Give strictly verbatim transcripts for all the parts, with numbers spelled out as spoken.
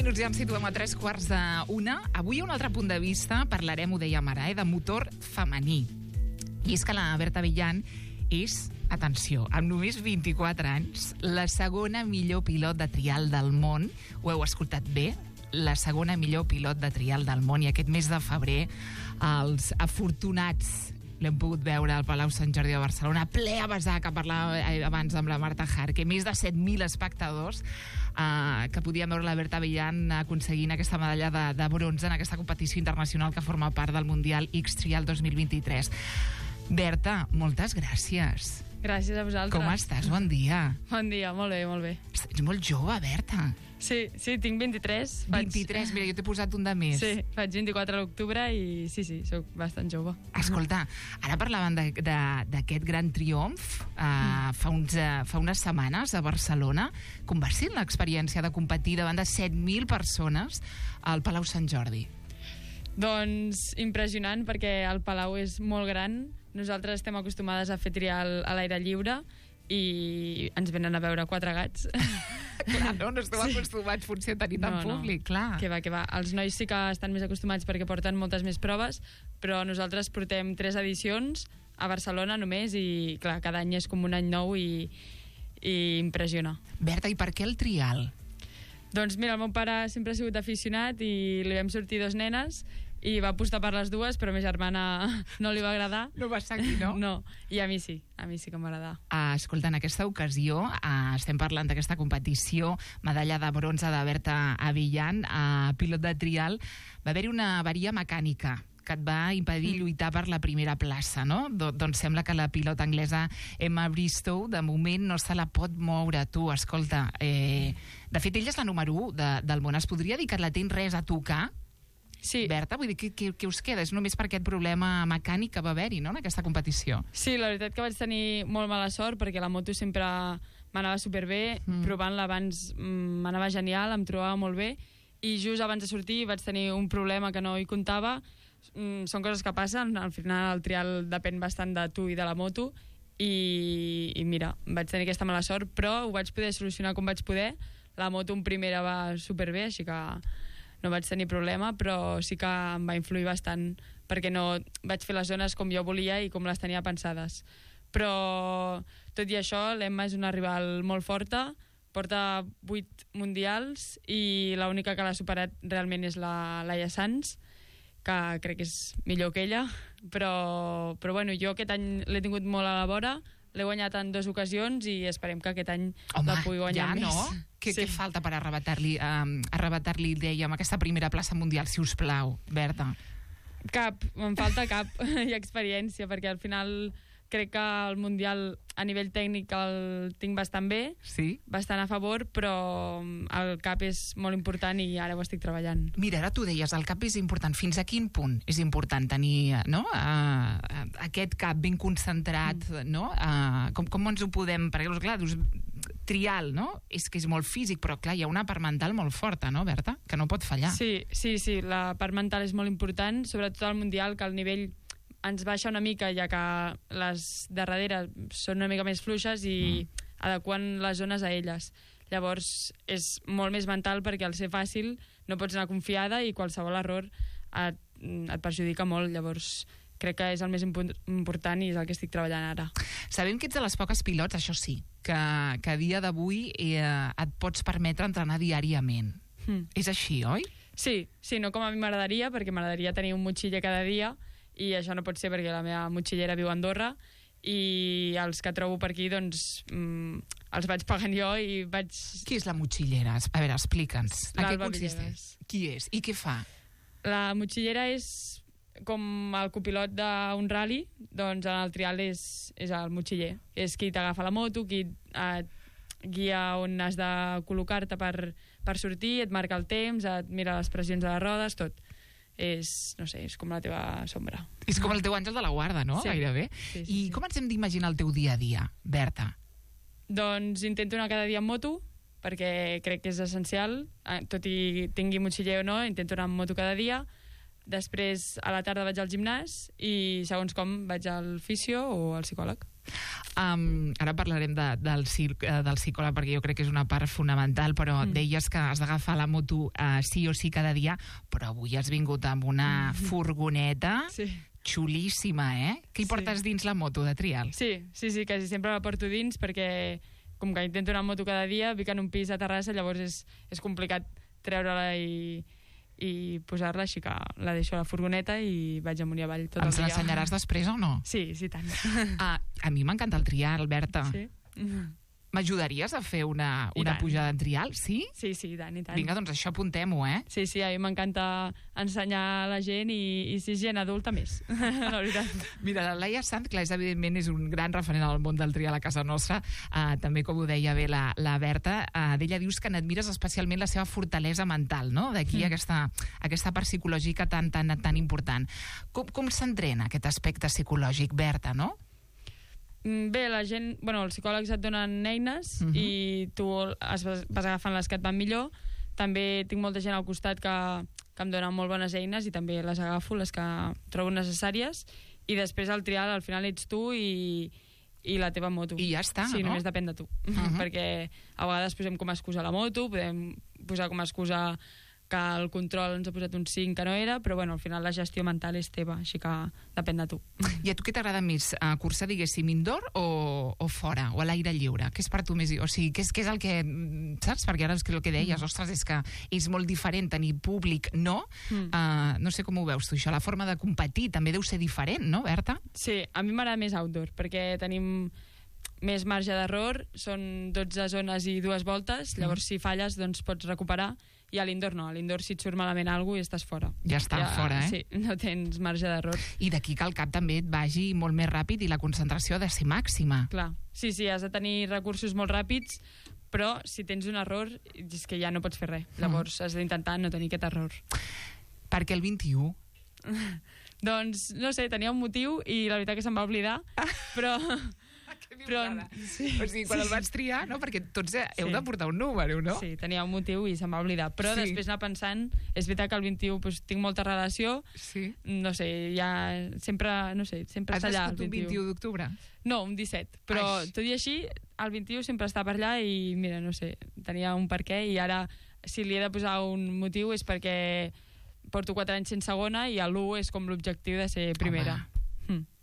minuts ja em situem a tres quarts d'una. Avui, a un altre punt de vista, parlarem, ho dèiem ara, eh, de motor femení. I és que la Berta Villan és, atenció, amb només vint-i-quatre anys, la segona millor pilot de trial del món. Ho heu escoltat bé? La segona millor pilot de trial del món. I aquest mes de febrer, els afortunats l'hem pogut veure al Palau Sant Jordi de Barcelona, ple a vessar, que parlava abans amb la Marta Jarque, més de set mil espectadors eh, que podien veure la Berta Villan aconseguint aquesta medalla de, de bronze en aquesta competició internacional que forma part del Mundial X-Trial dos mil vint-i-tres. Berta, moltes gràcies. Gràcies a vosaltres. Com estàs? Bon dia. Bon dia, molt bé, molt bé. Ets molt jove, Berta. Sí, sí, tinc vint-i-tres. vint-i-tres, mira, jo t'he posat un de més. Sí, faig vint-i-quatre a l'octubre i sí, sí, sóc bastant jove. Escolta, ara parlaven d'aquest gran triomf uh, mm. fa, uns, uh, fa unes setmanes a Barcelona. Com va ser l'experiència de competir davant de set mil persones al Palau Sant Jordi? Doncs impressionant, perquè el Palau és molt gran. Nosaltres estem acostumades a fer trial a l'aire lliure i ens venen a veure quatre gats. Clar, no, no esteu sí. acostumats potser a tenir tant no, públic, no. clar. Que va, que va. Els nois sí que estan més acostumats perquè porten moltes més proves, però nosaltres portem tres edicions a Barcelona només i, clar, cada any és com un any nou i, i impressiona. Berta, i per què el trial? Doncs mira, el meu pare sempre ha sigut aficionat i li vam sortir dos nenes i va apostar per les dues, però a ma germana no li va agradar. No va seguir, no? No, i a mi sí, a mi sí que m'agrada. Uh, escolta, en aquesta ocasió uh, estem parlant d'aquesta competició, medalla de bronze de Berta Villan, uh, pilot de trial. Va haver-hi una avaria mecànica que et va impedir lluitar per la primera plaça, no? Do doncs sembla que la pilota anglesa Emma Bristow de moment no se la pot moure. Tu, escolta, eh, de fet ella és la número u de, del món. Es podria dir que la tens res a tocar? Sí. Berta, vull dir, què, què, què us queda? És només per aquest problema mecànic que va haver-hi, no?, en aquesta competició. Sí, la veritat que vaig tenir molt mala sort perquè la moto sempre m'anava superbé, mm. provant-la abans m'anava genial, em trobava molt bé, i just abans de sortir vaig tenir un problema que no hi comptava. Mm, són coses que passen, al final el trial depèn bastant de tu i de la moto, i, i mira, vaig tenir aquesta mala sort, però ho vaig poder solucionar com vaig poder. La moto en primera va superbé, així que no vaig tenir problema, però sí que em va influir bastant perquè no vaig fer les zones com jo volia i com les tenia pensades. Però tot i això, l'Emma és una rival molt forta, porta vuit mundials i l'única que l'ha superat realment és la Laia Sanz, que crec que és millor que ella, però, però bueno, jo aquest any l'he tingut molt a la vora, l'he guanyat en dues ocasions i esperem que aquest any Home, la pugui guanyar ja, més. No? Què, sí. què falta per arrebatar-li, um, arrebatar-li, dèiem, aquesta primera plaça mundial, si us plau, Berta? Cap, em falta cap i experiència, perquè al final crec que el Mundial a nivell tècnic el tinc bastant bé, sí? bastant a favor, però el cap és molt important i ara ho estic treballant. Mira, ara tu deies, el cap és important. Fins a quin punt és important tenir, no?, uh, aquest cap ben concentrat, mm. no? Uh, com, com ens ho podem... Perquè, clar, dius, trial, no? És que és molt físic, però clar, hi ha una part mental molt forta, no, Berta? Que no pot fallar. Sí, sí, sí, la part mental és molt important, sobretot al Mundial, que el nivell ens baixa una mica, ja que les darreres són una mica més fluixes i mm. adequant les zones a elles. Llavors és molt més mental perquè al ser fàcil no pots anar confiada i qualsevol error et, et perjudica molt. Llavors crec que és el més impo important i és el que estic treballant ara. Sabem que ets de les poques pilots, això sí, que, que a dia d'avui eh, et pots permetre entrenar diàriament. Mm. És així, oi? Sí, sí, no com a mi m'agradaria, perquè m'agradaria tenir un motxiller cada dia, i això no pot ser perquè la meva motxillera viu a Andorra i els que trobo per aquí doncs mm, els vaig pagant jo i vaig... Qui és la motxillera? A veure, explica'ns. En què consisteix? Villegas. Qui és? I què fa? La motxillera és com el copilot d'un rally, doncs en el trial és, és el motxiller. És qui t'agafa la moto, qui et guia on has de col·locar-te per, per sortir, et marca el temps, et mira les pressions de les rodes, tot. És, no sé, és com la teva sombra. És com el teu àngel de la guarda, no? Sí. Gairebé. Sí, sí, I sí. com ens hem d'imaginar el teu dia a dia, Berta? Doncs intento anar cada dia en moto, perquè crec que és essencial, tot i tingui motxiller o no, intento anar en moto cada dia. després a la tarda vaig al gimnàs i segons com vaig al fisio o al psicòleg. Um, ara parlarem de, del, del psicòleg perquè jo crec que és una part fonamental, però mm. deies que has d'agafar la moto uh, sí o sí cada dia, però avui has vingut amb una mm. furgoneta sí. xulíssima, eh? Què hi sí. portes dins la moto de trial? Sí, sí, sí, quasi sempre la porto dins perquè com que intento anar amb moto cada dia, vic en un pis a Terrassa, llavors és, és complicat treure-la i i posar-la, així que la deixo a la furgoneta i vaig amunt i avall tot el dia. Ens l'ensenyaràs després o no? Sí, sí, tant. Ah, a mi m'encanta el trial, Berta. Sí? M'ajudaries a fer una, una pujada en trial? Sí? Sí, sí, i tant, i tant. Vinga, doncs això apuntem-ho, eh? Sí, sí, a mi m'encanta ensenyar a la gent i, i si és gent adulta més, la veritat. Mira, la Laia Sant, clar, és, evidentment és un gran referent al món del trial a casa nostra, uh, també com ho deia bé la, la Berta, uh, d'ella dius que n'admires especialment la seva fortalesa mental, no? D'aquí mm. aquesta, aquesta part psicològica tan, tan, tan important. Com, com s'entrena aquest aspecte psicològic, Berta, no? Bé, la gent, bueno, els psicòlegs et donen eines uh-huh. i tu es vas, vas agafant les que et van millor. També tinc molta gent al costat que, que em donen molt bones eines i també les agafo, les que trobo necessàries, i després al trial al final ets tu i, i la teva moto. I ja està, sí, no? només depèn de tu. Uh-huh. Perquè a vegades posem com a excusa la moto, podem posar com a excusa que el control ens ha posat un cinc que no era, però bueno, al final la gestió mental és teva, així que depèn de tu. I a tu què t'agrada més, uh, cursar, diguéssim, indoor o, o fora, o a l'aire lliure? Què és per tu més... O sigui, què és, què és el que... Saps? Perquè ara és que el que deies, mm. ostres, és que és molt diferent tenir públic, no? Mm. Uh, no sé com ho veus tu, això. La forma de competir també deu ser diferent, no, Berta? Sí, a mi m'agrada més outdoor, perquè tenim més marge d'error, són dotze zones i dues voltes, llavors mm. si falles doncs pots recuperar, i a l'indoor no, a l'indoor si et surt malament alguna cosa i estàs fora. Ja està, ja, fora, eh? Sí, no tens marge d'error. I d'aquí que el cap també et vagi molt més ràpid i la concentració ha de ser màxima. Clar, sí, sí, has de tenir recursos molt ràpids, però si tens un error és que ja no pots fer res. Llavors mm. has d'intentar no tenir aquest error. Per què el vint-i-u? Doncs, no sé, tenia un motiu i la veritat que se'm va oblidar, però... Però, sí, o sigui, quan sí, el vaig triar, no? Perquè tots heu sí. de portar un número, no? Sí, tenia un motiu i se'm va oblidar. Però sí. després anar pensant, és veritat que el vint-i-u pues, tinc molta relació, sí. no sé, ja sempre, no sé, sempre Has està allà. Has nascut un vint-i-u d'octubre? No, un disset. Però Ai. tot i així, el vint-i-u sempre està per allà i, mira, no sé, tenia un per què i ara, si li he de posar un motiu és perquè porto quatre anys sense segona i l'u és com l'objectiu de ser primera. Home.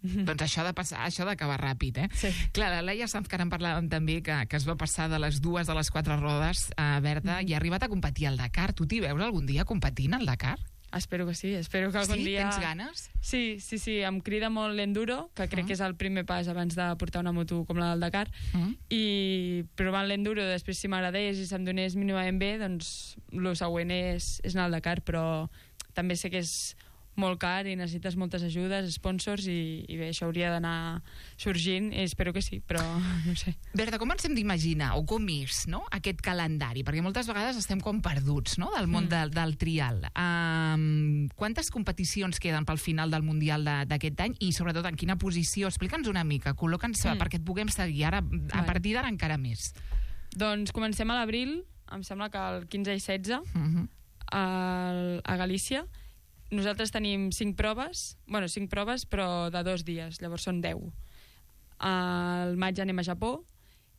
Doncs això ha de passar, això ha d'acabar ràpid, eh? Sí. Clar, la Laia Sanz, que ara en parlàvem també, que, que es va passar de les dues a les quatre rodes, a Berta, mm. i ha arribat a competir al Dakar. Tu t'hi veus algun dia competint al Dakar? Espero que sí, espero que algun sí? dia... Tens ganes? Sí, sí, sí, em crida molt l'enduro, que crec mm. que és el primer pas abans de portar una moto com la del Dakar, mm. i provant l'enduro, després si m'agradés i se'm donés mínimament bé, doncs el següent és, és anar al Dakar, però també sé que és molt car i necessites moltes ajudes, sponsors, i, i bé, això hauria d'anar sorgint, i espero que sí, però no sé. Berta, com ens hem d'imaginar, o com és, no?, aquest calendari? Perquè moltes vegades estem com perduts, no?, del món mm. del, del trial. Um, quantes competicions queden pel final del Mundial d'aquest any i, sobretot, en quina posició? Explica'ns una mica, col·loca'ns mm. perquè et puguem seguir ara, a partir d'ara encara més. Doncs comencem a l'abril, em sembla que el quinze i setze, mm-hmm. a, a Galícia. Nosaltres tenim cinc proves, bueno, cinc proves, però de dos dies, llavors són deu. Al maig anem a Japó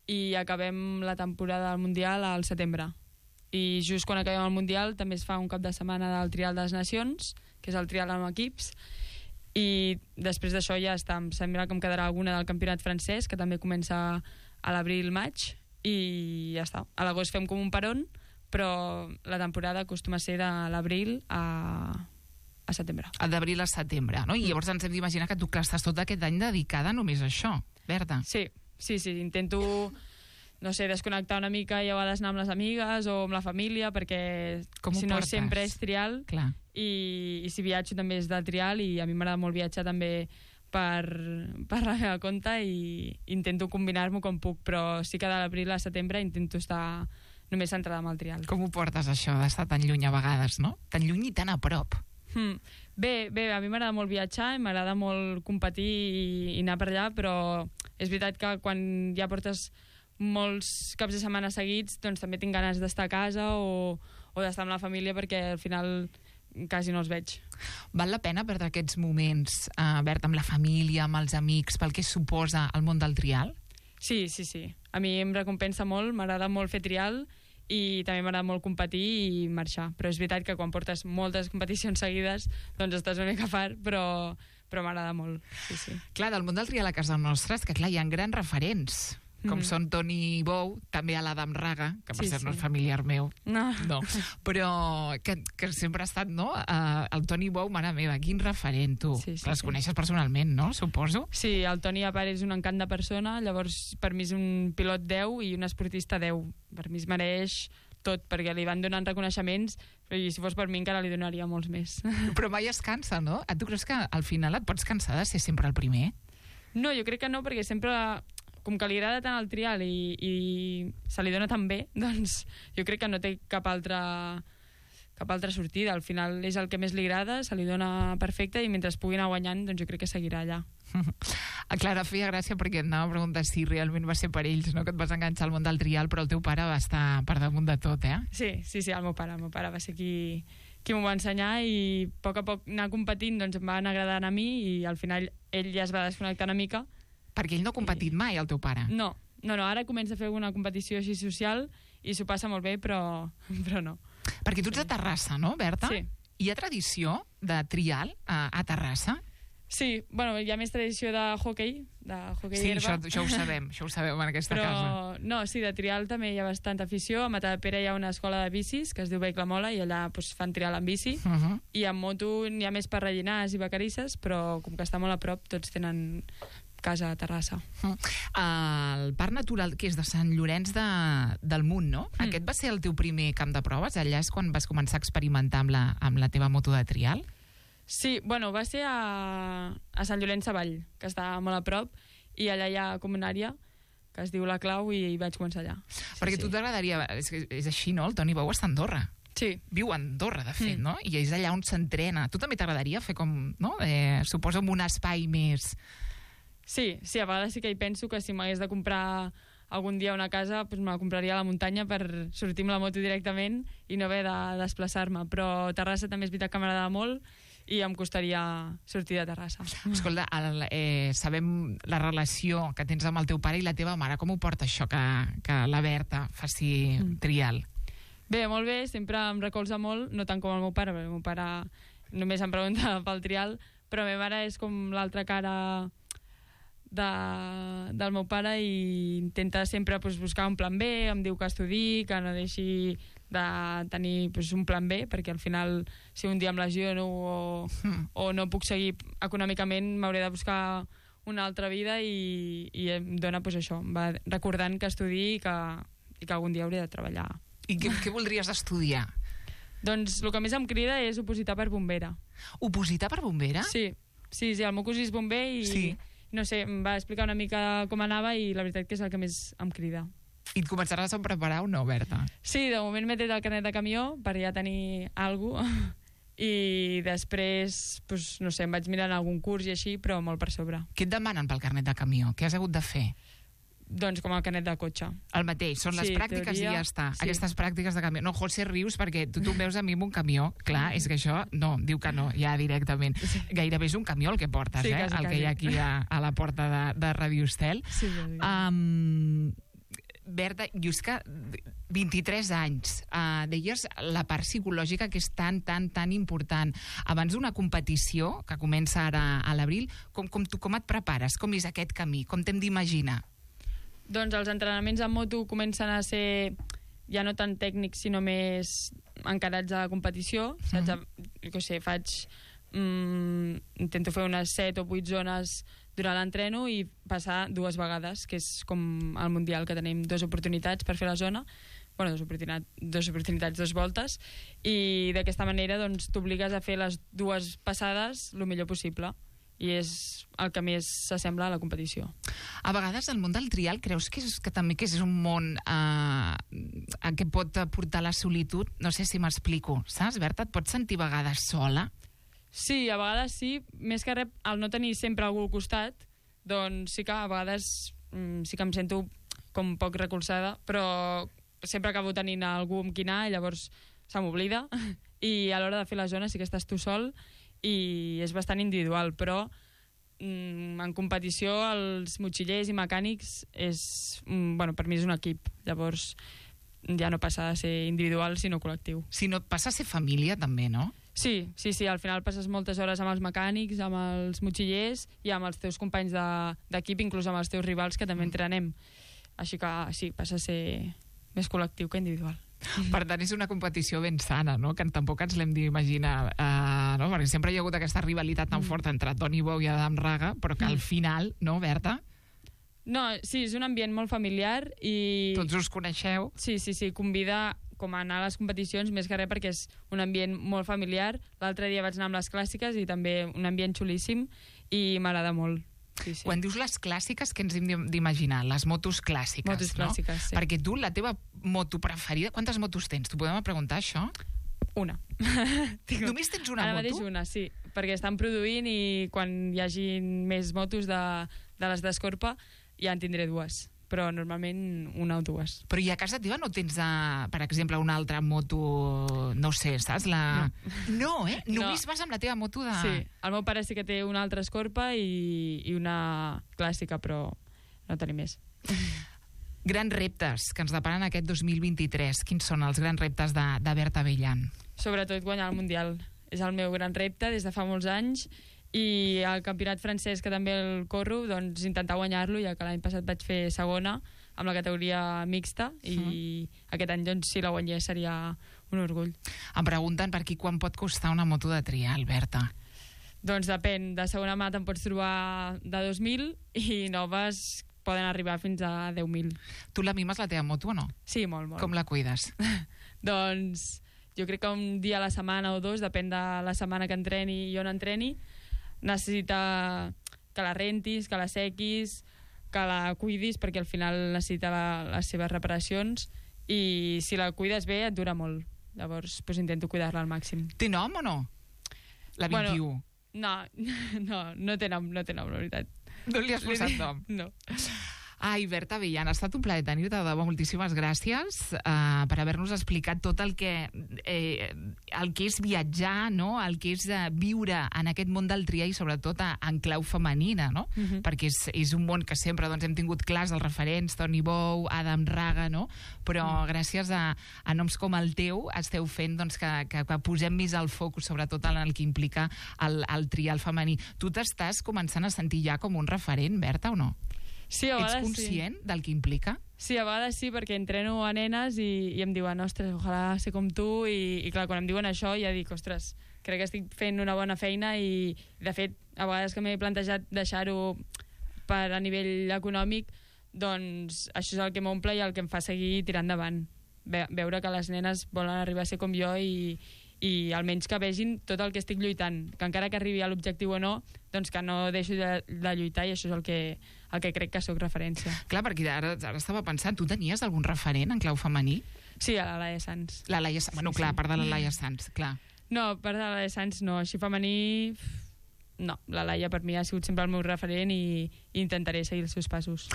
i acabem la temporada del Mundial al setembre. I just quan acabem el Mundial també es fa un cap de setmana del Trial de les Nacions, que és el trial amb equips, i després d'això ja està. Em sembla que em quedarà alguna del campionat francès, que també comença a l'abril-maig, i ja està. A l'agost fem com un peron, però la temporada acostuma a ser de l'abril a... a setembre. D'abril a setembre, no? I llavors ens hem d'imaginar que tu que estàs tot aquest any dedicada només a això, Berta. Sí, sí, sí, intento, no sé, desconnectar una mica i a vegades anar amb les amigues o amb la família, perquè si no portes? sempre és trial. Clar. I, i si viatjo també és de trial, i a mi m'agrada molt viatjar també per, per la meva compte, i intento combinar-m'ho com puc, però sí que de l'abril a setembre intento estar només centrada amb el trial. Com ho portes això, d'estar tan lluny a vegades, no? Tan lluny i tan a prop. Hmm. Bé, bé, a mi m'agrada molt viatjar i m'agrada molt competir i, i anar per allà, però és veritat que quan ja portes molts caps de setmana seguits, doncs també tinc ganes d'estar a casa o, o d'estar amb la família, perquè al final quasi no els veig. Val la pena perdre aquests moments, eh, Berta, amb la família, amb els amics, pel que suposa el món del trial? Sí, sí, sí. A mi em recompensa molt, m'agrada molt fer trial i també m'agrada molt competir i marxar. Però és veritat que quan portes moltes competicions seguides doncs estàs una mica fart, però, però m'agrada molt. Sí, sí. Clar, del món del trial a casa nostra és que clar, hi ha grans referents, com mm. són Toni Bou, també a l'Adam Raga, que per Sí, cert sí. no és familiar meu, No. no, però que, que sempre ha estat, no? Uh, el Toni Bou, mare meva, quin referent, tu. Sí, sí, Les sí. coneixes personalment, no? Suposo. Sí, el Toni a part és un encant de persona, llavors per mi és un pilot deu i un esportista deu. Per mi es mereix tot, perquè li van donant reconeixements, i si fos per mi encara li donaria molts més. Però mai es cansa, no? Tu creus que al final et pots cansar de ser sempre el primer? No, jo crec que no, perquè sempre, com que li agrada tant el trial i, i se li dona tan bé, doncs jo crec que no té cap altra, cap altra sortida. Al final és el que més li agrada, se li dona perfecte i mentre es pugui anar guanyant, doncs jo crec que seguirà allà. A Clara feia gràcia perquè et anava a preguntar si realment va ser per ells, no? Que et vas enganxar al món del trial, però el teu pare va estar per damunt de tot, eh? Sí, sí, sí, el meu pare. El meu pare va ser qui, qui m'ho va ensenyar i a poc a poc anar competint doncs em va anar agradant a mi i al final ell ja es va desconnectar una mica. Perquè ell no ha competit mai, el teu pare. No, no, no, ara comença a fer alguna competició així social i s'ho passa molt bé, però, però no. Perquè tu ets de Terrassa, no, Berta? Sí. Hi ha tradició de trial a, a Terrassa? Sí, bueno, hi ha més tradició de hoquei, de hoquei Sí, d'herba. això, això ho sabem, això ho sabem en aquesta Però, casa. no, sí, de trial també hi ha bastanta afició. A Matadepera hi ha una escola de bicis que es diu Vehicle Mola i allà doncs, fan trial amb bici. Uh -huh. I amb moto n'hi ha més per rellinars i vacarisses, però com que està molt a prop, tots tenen casa a Terrassa. Uh -huh. El Parc Natural, que és de Sant Llorenç de, del Munt, no? Mm. Aquest va ser el teu primer camp de proves? Allà és quan vas començar a experimentar amb la, amb la teva moto de trial? Sí, bueno, va ser a, a Sant Llorenç Savall, que està molt a prop, i allà hi ha com una àrea que es diu La Clau i hi vaig començar allà. Sí, Perquè sí. tu t'agradaria... És, que és així, no? El Toni Bou està a Andorra. Sí, Viu a Andorra, de fet, Mm. no? I és allà on s'entrena. Tu també t'agradaria fer com, no? Eh, suposo amb un espai més... sí, sí, a vegades sí que hi penso que si m'hagués de comprar algun dia una casa, doncs me la compraria a la muntanya per sortir amb la moto directament i no haver de desplaçar-me. Però Terrassa també és veritat que m'agrada molt i em costaria sortir de Terrassa. Escolta, el, eh, sabem la relació que tens amb el teu pare i la teva mare. Com ho porta això que, que la Berta faci Mm. trial? Bé, molt bé, sempre em recolza molt, no tant com el meu pare, perquè el meu pare només em pregunta pel trial, però la meva mare és com l'altra cara de, del meu pare i intenta sempre pues, buscar un plan B, em diu que estudi, que no deixi de tenir pues, un plan B, perquè al final si un dia em lesiono o, Mm. o no puc seguir econòmicament m'hauré de buscar una altra vida i, i em dona pues, això, em va recordant que estudi i que, i que algun dia hauré de treballar. I què, què voldries estudiar? Doncs el que més em crida és opositar per bombera. Opositar per bombera? Sí, sí, sí, el meu cosí és bomber i Sí. no sé, em va explicar una mica com anava i la veritat que és el que més em crida. I et començaràs a preparar o no, Berta? Sí, de moment m'he tret el carnet de camió per ja tenir alguna cosa i després, doncs, no sé, em vaig mirant algun curs i així, però molt per sobre. Què et demanen pel carnet de camió? Què has hagut de fer? Doncs com el carnet de cotxe. El mateix, són les Sí, pràctiques teoria, i ja està. sí. Aquestes pràctiques de camió. No, José, rius perquè tu, tu em veus a mi amb un camió. Clar, és que això, no, diu que no, ja directament. Sí. Gairebé és un camió el que portes, Sí, eh? quasi, el que quasi. hi ha aquí a, a la porta de, de Radio Estel. Sí, Um, Berta, jo és que vint-i-tres anys, uh, deies la part psicològica que és tan, tan, tan important. Abans d'una competició, que comença ara a l'abril, com, com, tu, com et prepares? Com és aquest camí? Com t'hem d'imaginar? Doncs els entrenaments en moto comencen a ser ja no tan tècnics, sinó més encarats a la competició. Saps? Jo què sé, faig... Mm, intento fer unes set o vuit zones durant l'entreno i passar dues vegades, que és com al Mundial, que tenim dues oportunitats per fer la zona. Bueno, dues oportunitats, dues oportunitats, dues voltes, i d'aquesta manera doncs, t'obligues a fer les dues passades el millor possible. I és el que més s'assembla a la competició. A vegades el món del trial creus que és, que també que és un món eh, que pot portar la solitud? No sé si m'explico, saps, Berta? Et pots sentir a vegades sola? Sí, a vegades sí, més que res, al no tenir sempre algú al costat, doncs sí que a vegades mm, sí que em sento com poc recolzada, però sempre acabo tenint algú amb qui anar i llavors se m'oblida, i a l'hora de fer la zona sí que estàs tu sol i és bastant individual, però mm, en competició els motxillers i mecànics és, mm, bueno, per mi és un equip, llavors ja no passa a ser individual sinó col·lectiu. Si no, passa a ser família també, no? Sí, sí, sí, al final passes moltes hores amb els mecànics, amb els motxillers i amb els teus companys d'equip, de, inclús amb els teus rivals que també entrenem. Així que sí, passa a ser més col·lectiu que individual. Per tant, és una competició ben sana, no? Que tampoc ens l'hem d'imaginar, uh, no? Perquè sempre hi ha hagut aquesta rivalitat tan forta entre Toni Bou i Adam Raga, però que al final, no, Berta? No, sí, és un ambient molt familiar i... Tots us coneixeu? Sí, sí, sí, convida com a anar a les competicions, més que res perquè és un ambient molt familiar. L'altre dia vaig anar amb les clàssiques i també un ambient xulíssim i m'agrada molt. Sí, sí. Quan dius les clàssiques, què ens hem d'imaginar? Les motos clàssiques, motos no? clàssiques, sí. Perquè tu, la teva moto preferida... Quantes motos tens? T'ho podem preguntar, això? Una. Només tens una Ara moto? Ara mateix una, sí. Perquè estan produint i quan hi hagi més motos de, de les d'Escorpa ja en tindré dues. Però normalment una o dues. Però i a casa teva no tens, uh, per exemple, una altra moto, no sé, saps? La... No. no, eh? Només no. Vas amb la teva moto de... Sí, el meu pare sí que té una altra Escorpa i, i una clàssica, però no tenim més. Grans reptes que ens deparen aquest dos mil vint-i-tres. Quins són els grans reptes de, de Berta Bellan? Sobretot guanyar el Mundial. És el meu gran repte des de fa molts anys. I el campionat francès, que també el corro, doncs intentar guanyar-lo, ja que l'any passat vaig fer segona amb la categoria mixta i mm. aquest any, doncs, si la guanyés seria un orgull. Em pregunten per aquí quan pot costar una moto de trial, Berta? Doncs depèn, de segona mà te'n pots trobar de dos mil i noves poden arribar fins a deu mil. Tu la mimes, la teva moto, o no? Sí, molt, molt. Com la cuides? Doncs jo crec que un dia a la setmana o dos, depèn de la setmana que entreni i on entreni, necessita que la rentis, que la sequis, que la cuidis, perquè al final necessita la, les seves reparacions i si la cuides bé et dura molt. Llavors pues, intento cuidar-la al màxim. Té nom o no? La vint-i-u? Bueno, no, no, no té nom, no té nom, la veritat. No li has posat nom? No. Ai, Berta Bellan, ha estat un plaer tenir-te, de debò, moltíssimes gràcies uh, per haver-nos explicat tot el que, eh, el que és viatjar, no? El que és uh, viure en aquest món del trial i sobretot a, en clau femenina, no? Uh-huh. Perquè és, és un món que sempre doncs, hem tingut clars els referents, Toni Bou, Adam Raga, no? Però uh-huh. gràcies a, a noms com el teu esteu fent doncs, que, que, que posem més el focus sobretot en el que implica el, el trial femení. Tu t'estàs començant a sentir ja com un referent, Berta, o no? Sí, a vegades ets conscient sí. del que implica? Sí, a vegades sí, perquè entreno a nenes i, i em diuen, ostres, ojalà ser com tu, i, i clar, quan em diuen això ja dic, ostres, crec que estic fent una bona feina i, de fet, a vegades que m'he plantejat deixar-ho per a nivell econòmic, doncs això és el que m'omple i el que em fa seguir tirant endavant. Ve, veure que les nenes volen arribar a ser com jo i, i almenys que vegin tot el que estic lluitant, que encara que arribi a l'objectiu o no, doncs que no deixo de, de lluitar i això és el que, el que crec que sóc referència. Clar, perquè ara, ara estava pensant, tu tenies algun referent en clau femení? Sí, a la Laia Sanz. La Laia Sanz, bueno, sí, clar, sí. a part de la Laia Sanz, clar. No, a part de la Laia Sanz no, així femení... No, la Laia per mi ha sigut sempre el meu referent i, i intentaré seguir els seus passos.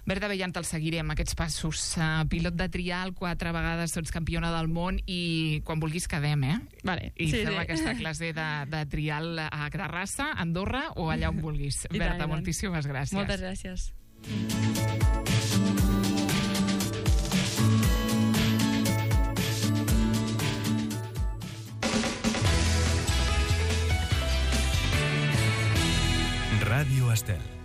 Berta Bellan, te'l seguirem, aquests passos. Uh, pilot de trial, quatre vegades sots campiona del món i quan vulguis quedem, eh? Vale. I sí, fem sí. aquesta classe de, de trial a Terrassa, a Andorra o allà on vulguis. I Berta, tant, moltíssimes gràcies. Moltes gràcies. Ràdio Estel.